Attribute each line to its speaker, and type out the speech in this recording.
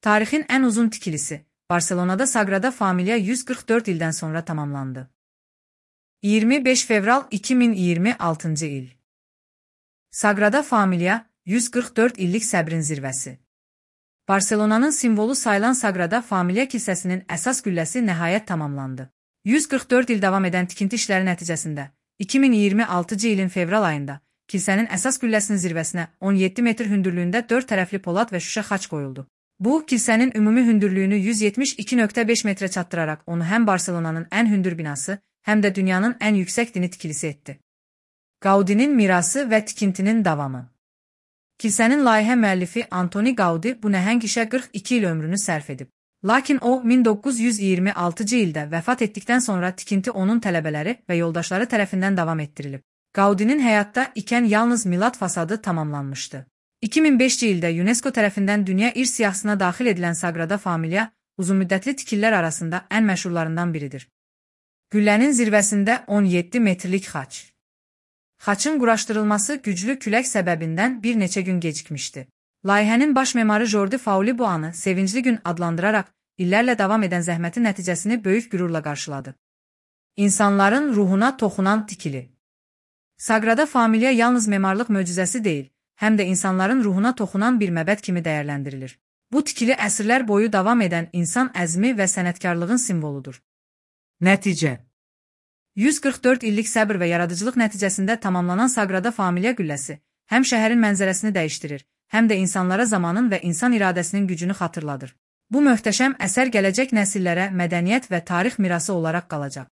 Speaker 1: Tarixin ən uzun tikilisi, Barselonada Sagrada Familia 144 ildən sonra tamamlandı. 25 fevral 2026-cı il. Sagrada Familia 144 illik səbrin zirvəsi. Barselonanın simvolu sayılan Sagrada Familia kilsəsinin əsas qülləsi nəhayət tamamlandı. 144 il davam edən tikinti işləri nəticəsində 2026-cı ilin fevral ayında kilsənin əsas qülləsinin zirvəsinə 17 metr hündürlüyündə 4 tərəfli polad və şüşə xaç qoyuldu. Bu, kilsənin ümumi hündürlüyünü 172.5 metrə çatdıraraq onu həm Barselonanın ən hündür binası, həm də dünyanın ən yüksək dini tikilisi etdi. Gaudinin mirası və tikintinin davamı. Kilsənin layihə müəllifi Antoni Gaudi bu nəhəng işə 42 il ömrünü sərf edib. Lakin o, 1926-cı ildə vəfat etdikdən sonra tikinti onun tələbələri və yoldaşları tərəfindən davam etdirilib. Gaudinin həyatda ikən yalnız Milad fasadı tamamlanmışdı. 2005-ci ildə UNESCO tərəfindən dünya irs siyahısına daxil edilən Sagrada Familia uzunmüddətli tikililər arasında ən məşhurlarından biridir. Güllənin zirvəsində 17 metrlik xaç. Xaçın quraşdırılması güclü külək səbəbindən bir neçə gün gecikmişdi. Layihənin baş memarı Jordi Fauli bu anı sevincli gün adlandıraraq illərlə davam edən zəhmətin nəticəsini böyük qürurla qarşıladı. İnsanların ruhuna toxunan tikili. Sagrada Familia yalnız memarlıq möcüzəsi deyil, həm də insanların ruhuna toxunan bir məbəd kimi dəyərləndirilir. Bu tikili əsrlər boyu davam edən insan əzmi və sənətkarlığın simvoludur. Nəticə. 144 illik səbr və yaradıcılıq nəticəsində tamamlanan Sagrada Familia qülləsi həm şəhərin mənzərəsini dəyişdirir, həm də insanlara zamanın və insan iradəsinin gücünü xatırladır. Bu möhtəşəm əsər gələcək nəsillərə mədəniyyət və tarix mirası olaraq qalacaq.